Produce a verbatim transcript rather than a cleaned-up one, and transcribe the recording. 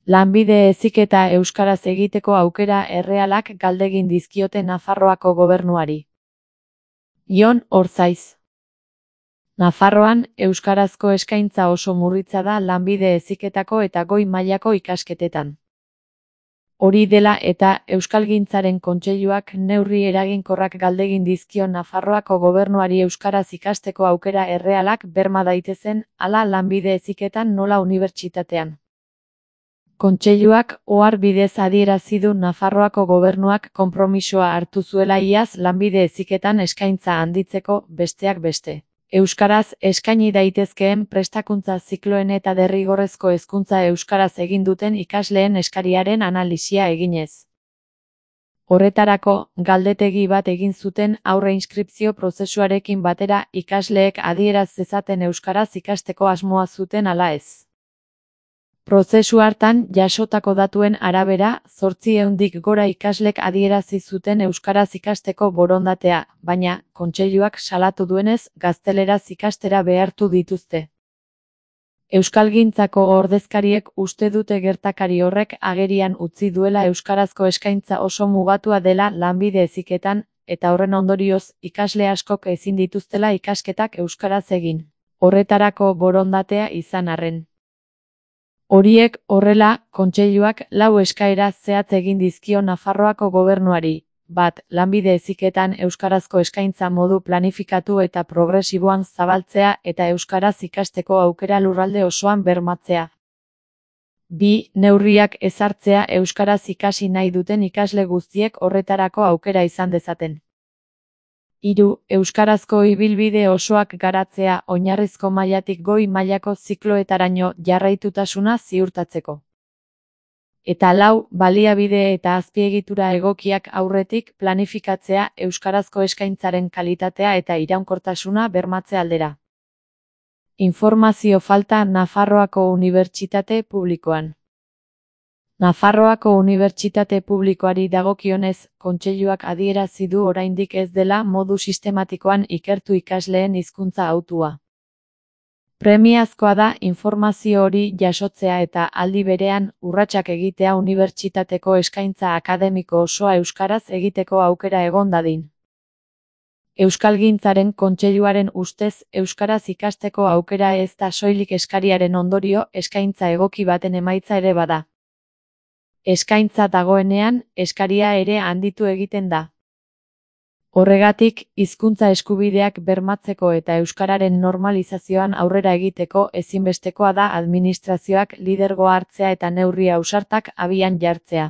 Lanbide heziketa euskaraz egiteko aukera errealak galdegin dizkiote Nafarroako gobernuari. Jon Orzaiz. Nafarroan, euskarazko eskaintza oso murritza da lanbide heziketako eta goi mailako ikasketetan. Hori dela eta Euskalgintzaren Kontseiluak neurri eraginkorrak galdegin dizkio Nafarroako gobernuari euskaraz ikasteko aukera errealak berma daitezen, hala lanbide heziketan nola unibertsitatean. Kontseiluak ohar bidez adierazi du Nafarroako gobernuak konpromisoa hartu zuela iaz lanbide heziketan eskaintza handitzeko, besteak beste. Euskaraz eskaini daitezkeen prestakuntza zikloen eta derrigorrezko hezkuntza euskaraz egin duten ikasleen eskariaren analisia eginez. Horretarako, galdetegi bat egin zuten aurre inskripzio prozesuarekin batera ikasleek adieraz zezaten euskaraz ikasteko asmoa zuten ala ez. Prozesu hartan jasotako datuen arabera, zortziehundik gora ikaslek adierazi zuten euskaraz ikasteko borondatea, baina, Kontseiluak salatu duenez, gazteleraz ikastera behartu dituzte. Euskalgintzako ordezkariek uste dute gertakari horrek agerian utzi duela euskarazko eskaintza oso mugatua dela lanbide heziketan, eta horren ondorioz, ikasle askok ezin dituztela ikasketak euskaraz egin. Horretarako borondatea izan arren. Horiek horrela, Kontseiluak lau eskaera zehatz egin dizkio Nafarroako gobernuari. Bat, lanbide heziketan euskarazko eskaintza modu planifikatu eta progresiboan zabaltzea eta euskaraz ikasteko aukera lurralde osoan bermatzea. Bi, neurriak ezartzea euskaraz ikasi nahi duten ikasle guztiek horretarako aukera izan dezaten. Hiru, euskarazko ibilbide osoak garatzea oinarrizko mailatik goi mailako zikloetaraino jarraitutasuna ziurtatzeko. Eta lau, baliabide eta azpiegitura egokiak aurretik planifikatzea euskarazko eskaintzaren kalitatea eta iraunkortasuna bermatze aldera. Informazio falta Nafarroako Unibertsitate Publikoan. Nafarroako Unibertsitate Publikoari dagokionez, Kontseiluak adierazi du oraindik ez dela modu sistematikoan ikertu ikasleen hizkuntza hautua. Premiazkoa da informazio hori jasotzea eta aldi berean urratsak egitea unibertsitateko eskaintza akademiko osoa euskaraz egiteko aukera egon dadin. Euskalgintzaren Kontseiluaren ustez euskaraz ikasteko aukera ez da soilik eskariaren ondorio eskaintza egoki baten emaitza ere bada. Eskaintza dagoenean, eskaria ere handitu egiten da. Horregatik, hizkuntza eskubideak bermatzeko eta euskararen normalizazioan aurrera egiteko ezinbestekoa da administrazioak lidergoa hartzea eta neurri ausartak abian jartzea.